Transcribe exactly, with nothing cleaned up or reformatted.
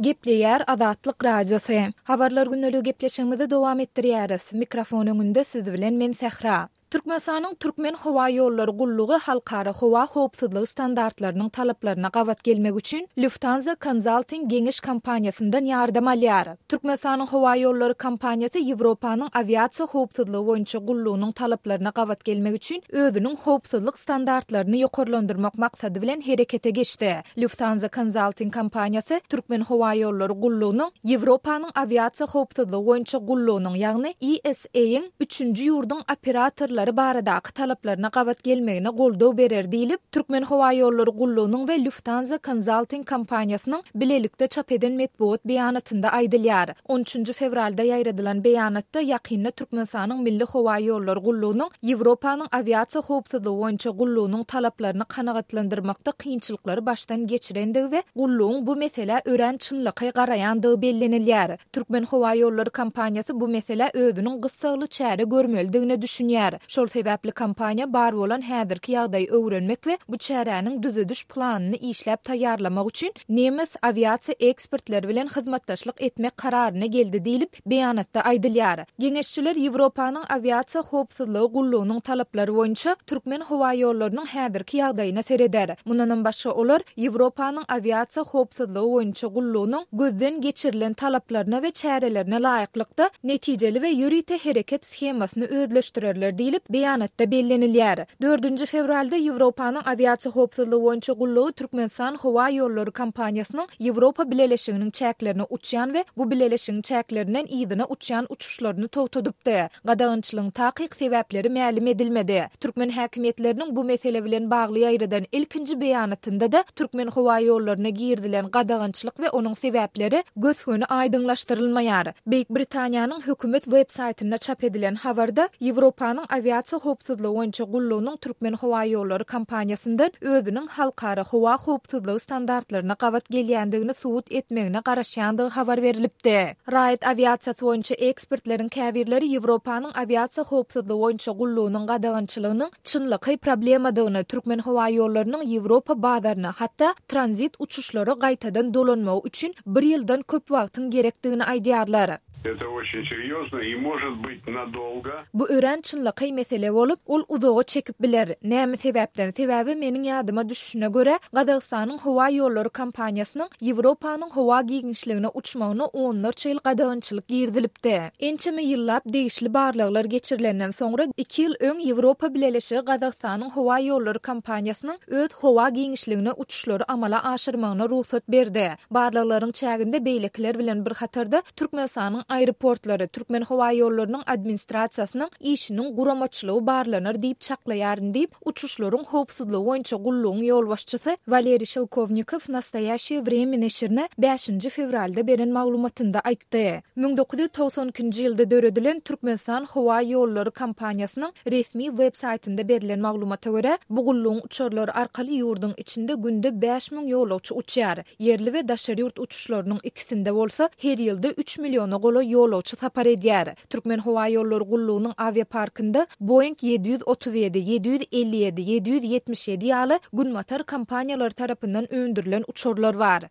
Gepleýär Azatlyk Radiosy. Habarlar gündeligi gepleşigimizi dowam etdirýäris. Mikrofon öňünde siz bilen men Sähra. Türkmenistanyň Türkmenhowaýollary gullugy halkara howa howpsuzlygy standartlarynyň talaplaryna gabat gelmek üçin Lufthansa Consulting geňeş kompaniýasyndan ýardam alýar. Türkmenistanyň howaýollary kompaniýasy Ýewropanyň awiasiýa howpsuzlygy boýunça gullugynyň talaplaryna gabat gelmek üçin özüniň howpsuzlyk standartlaryny ýokarlandyrmak maksady bilen herekete geçdi. Lufthansa Consulting kompaniýasy Türkmenhowaýollary gullugynyň Ýewropanyň awiasiýa howpsuzlygy boýunça gullugynyň, ýagny E S A-yň üçünji ýurduň operatorlary baradaky talaplaryna gabat gelmegine goldaw berer diýlip, Türkmenhowaýollary gullugynyň we Lufthansa Consulting kompaniýasynyň bilelikde çap eden metbugat beýanatynda aýdylýar. on üçünji fewralda ýaýradylan beýanatda ýakynda Türkmenistanyň Milli howaýollary gullugynyň Ýewropanyň awiasiýa howpsuzlygy boýunça gullugynyň talaplaryny kanagatlandyrmakda kynçylyklary başdan geçirendigi we gullugyň bu meselä örän çynlakaý garaýandygy bellenilýär. Türkmenhowaýollary kompaniýasy bu meselä özüniň gyssagly çäre görmelidigine düşünýär. Şol sebäpli kompaniýa bar bolan häzirki ýagdaýy öwrenmek we bu çäräniň düzediş planyny işläp taýýarlamak üçin nemes awiasiýa ekspertleri bilen hyzmatdaşlyk etmek kararyna geldi diýlip, beýanatda aýdylýar. Geňeşçiler Ýewropanyň awiasiýa howpsuzlygy gullugynyň talaplary boýunça türkmen howaýollarynyň häzirki ýagdaýyna sereder. Mundanam başga olar Ýewropanyň awiasiýa howpsuzlygy boýunça gullugynyň gözden geçirilen talaplaryna we çärelerine laýyklykda netijeli we ýörite hereket shemasyny özleşdirerler diýlip, beýanatda bellenilýär. dördünji fewralda Ýewropanyň awiasiýa howpsuzlygy boýunça gullugy Türkmenistan howa ýollary kompaniýasynyň Ýewropa Bileleşiginiň çäklerine uçýan we bu bileleşigiň çäklerinden yzyna uçýan uçuşlaryny togtadypdy. Gadagançylygyň takyk sebäpleri mälim edilmedi. Türkmen häkimiýetleriniň bu mesele bilen bagly ýaýradan ilkinji beýanatynda da türkmen howa ýollaryna girizilen gadagançylyk we onuň sebäpleri gös-göni aýdyňlaşdyrylmaýar. Beýik Britaniýanyň hökümet web saýtynda çap edilen habarda Ýewropanyň awiasiýa howpsuzlygy boýunça gullugynyň Türkmen howa ýollary kompaniýasyndan özüniň halkara howa howpsuzlygy standartlaryna gabat gelýändigini subut etmegine garaşýandygy habar berilipdi. Raýat awiasiýasy boýunça ekspertleriň käbirleri Ýewropanyň awiasiýa howpsuzlygy boýunça gullugynyň gadagançylygynyň çynlakaý problemadygyny, türkmen howa ýollarynyň Ýewropa bazaryna, hatda tranzit uçuşlara gaýtadan dolanmagy üçin bir ýyldan köp wagtyň gerekdigini aýdýarlar. Это очень серьезно и может быть надолго. Bu örän çynlakaý mesele bolup, ol uzaga çekip biler. Näme sebäpden? Sebäbi meniň ýadyma düşüşine görä, Gazagystanyň howa ýollary kompaniýasynyň Ýewropanyň howa giňişligine uçmagyna onlarça ýyl gadagançylyk girizilipdi. Ençeme ýyllap degişli barlaglar geçirilenden soňra iki ýyl öň Ýewropa Bileleşigi Gazagystanyň howa ýollary kompaniýasynyň öz howa giňişligine uçuşlary amala aşyrmagyna rugsat berdi. Barlaglaryň çäginde beýlekiler bilen bir hatarda Türkmenistanyň aeroportlary, Türkmen howa ýollarynyň administrasiýasynyň işiniň guramaçylygy barlanar diýip çaklaýaryn diýip, uçuşlaryň howpsuzlygy boýunça gullugyň ýolbaşçysy Waleriý Şelkownikow Nastoýaşiýe Wremýa neşirine bäşinji fewralda beren maglumatynda aýtdy. müň dokuz ýüz togsan ikinji ýylda döredilen Türkmenistan howa ýollary kompaniýasynyň resmi web saýtynda berlen maglumata görä, bu gullugyň uçarlary arkaly ýurduň içinde günde bäş müň ýolagçy uçýar. Ýerli we daşary ýurt uçuşlarynyň ikisinde bolsa her ýylda üç milliona golaý ýolagçy sapar edýär. Türkmen howa ýollary gullugynyň awiaparkynda Boeing ýedi ýüz otuz ýedi, ýedi ýüz elli ýedi, ýedi ýüz ýetmiş ýedi ýaly günbatar kompaniýalary tarapyndan öndürilen uçarlar bar.